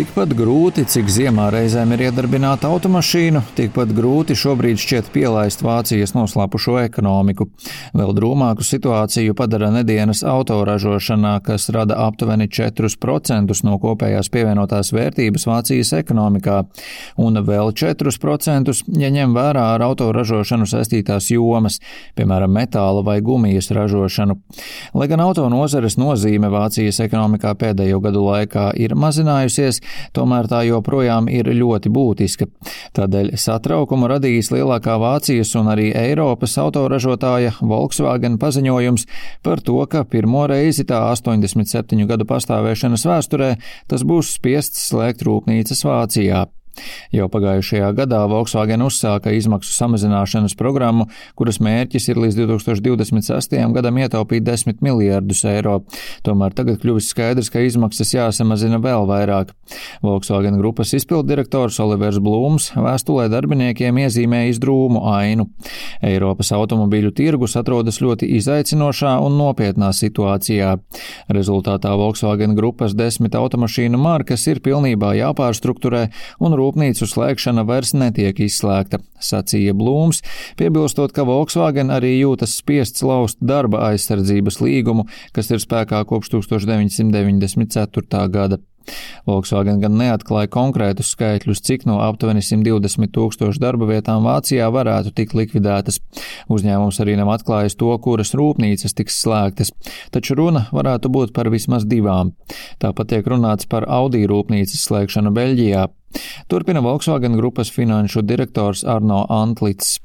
Tikpat grūti, cik ziemā reizēm ir iedarbināta automašīnu, tikpat grūti šobrīd šķiet pielaist Vācijas noslāpušo ekonomiku. Vēl drūmāku situāciju padara nedēļas autoražošanā, kas rada aptuveni 4% no kopējās pievienotās vērtības Vācijas ekonomikā, un vēl 4%, ja ņem vērā ar autoražošanu saistītās jomas, piemēram, metāla vai gumijas ražošanu. Lai gan autonozares nozīme Vācijas ekonomikā pēdējo gadu laikā ir mazinājusies, tomēr tā joprojām ir ļoti būtiska. Tādēļ satraukumu radījis lielākā Vācijas un arī Eiropas autoražotāja Volkswagen paziņojums par to, ka pirmo reizi tā 87 gadu pastāvēšanas vēsturē tas būs spiests slēgt rūpnīcas Vācijā. Jau pagājušajā gadā Volkswagen uzsāka izmaksu samazināšanas programmu, kuras mērķis ir līdz 2026. gadam ietaupīt 10 miljardus eiro. Tomēr tagad kļuvis skaidrs, ka izmaksas jāsamazina vēl vairāk. Volkswagen grupas izpilddirektors Olivers Blūms vēstulē darbiniekiem iezīmējis drūmu ainu. Eiropas automobīļu tirgus atrodas ļoti izaicinošā un nopietnā situācijā. Rezultātā Volkswagen grupas 10 automašīnu markas ir pilnībā jāpārstrukturē un rūpnīcu slēgšana vairs netiek izslēgta, sacīja Blūms, piebilstot, ka Volkswagen arī jūtas spiests laust darba aizsardzības līgumu, kas ir spēkā kopš 1994. gada. Volkswagen gan neatklāja konkrētus skaitļus, cik no aptuveni 120 000 darba vietām Vācijā varētu tikt likvidētas. Uzņēmums arī nav atklājis to, kuras rūpnīcas tiks slēgtas, taču runa varētu būt par vismaz 2. Tāpat tiek runāts par Audi rūpnīcas slēgšanu Beļģijā. Turpina Volkswagen grupas finanšu direktors Arno Antlits.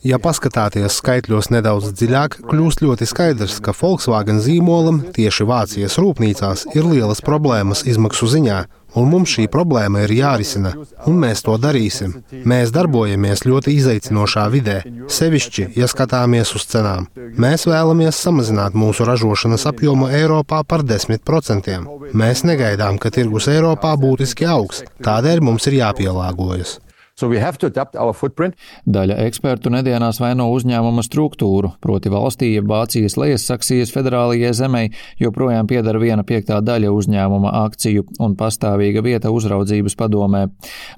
Ja paskatāties skaitļos nedaudz dziļāk, kļūst ļoti skaidrs, ka Volkswagen zīmolam tieši Vācijas rūpnīcās ir lielas problēmas izmaksu ziņā, un mums šī problēma ir jārisina, un mēs to darīsim. Mēs darbojamies ļoti izaicinošā vidē, sevišķi, ja skatāmies uz cenām. Mēs vēlamies samazināt mūsu ražošanas apjomu Eiropā par 10%. Mēs negaidām, ka tirgus Eiropā būtiski augs, tādēļ mums ir jāpielāgojas. Daļa ekspertu nedēļās vaino uzņēmuma struktūru, proti valstī, ja Vācijas Lejassaksijas federālajai zemei joprojām pieder 1/5 daļa uzņēmuma akciju un pastāvīga vieta uzraudzības padomē.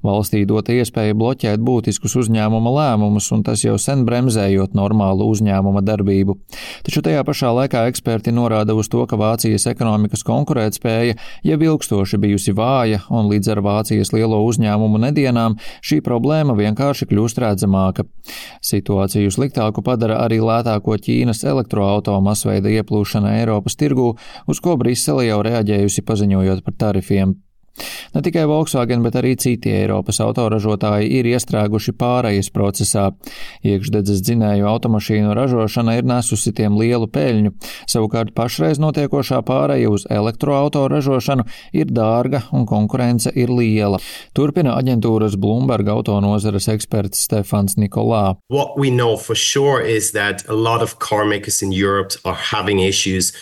Valstī dota iespēja bloķēt būtiskus uzņēmuma lēmumus, un tas jau sen bremzējot normālu uzņēmuma darbību. Taču tajā pašā laikā eksperti norāda uz to, ka Vācijas ekonomikas konkurētspēja jau ilgstoši bijusi vāja, un līdz ar Vācijas lielo uzņēmumu nedēļām šī problēma vienkārši kļūst redzamāka. Situāciju sliktāku padara arī lētāko Ķīnas elektroauto masveida ieplūšana Eiropas tirgū, uz ko Brisele jau reaģējusi paziņojot par tarifiem. Ne tikai Volkswagen, bet arī citi Eiropas autoražotāji ir iestrēguši pārejas procesā. Iekšdedzes dzinēju automašīnu ražošana ir nesusi tiem lielu peļņu, savukārt pašreiz notiekošā pāreja uz elektroauto ražošanu ir dārga un konkurence ir liela. Turpina aģentūras Bloomberg autonozares eksperts Stefans Nikolā.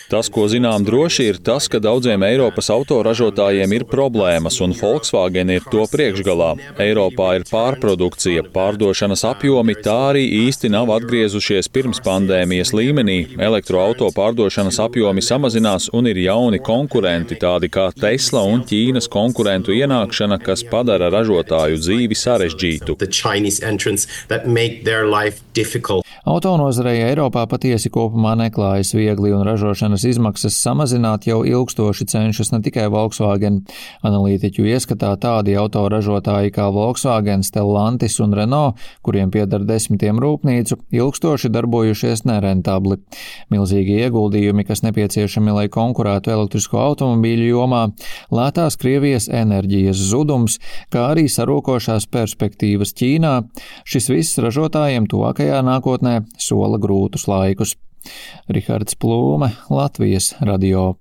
Tas, ko zinām droši, ir tas, ka daudziem Eiropas autoražotājiem ir problēmas, un Volkswagen ir to priekšgalā. Eiropā ir pārprodukcija, pārdošanas apjomi tā arī īsti nav atgriezušies pirms pandēmijas līmenī. Elektroauto pārdošanas apjomi samazinās un ir jauni konkurenti, tādi kā Tesla un Ķīnas konkurentu ienākšana, kas padara ražotāju dzīvi sarežģītu. Autonozarei Eiropā patiesi kopumā neklājas viegli, un ražošanas izmaksas samazināt jau ilgstoši cenšas ne tikai Volkswagen. Analītiķu ieskatā tādi autoražotāji kā Volkswagen, Stellantis un Renault, kuriem pieder 10 rūpnīcu, ilgstoši darbojušies nerentabli. Milzīgi ieguldījumi, kas nepieciešami, lai konkurētu elektrisko automobīļu jomā, lētās Krievijas enerģijas zudums, kā arī sarūkošās perspektīvas Ķīnā, šis viss ražotājiem tuvākajā nākotnē sola grūtus laikus. Rihards Plūme, Latvijas radio.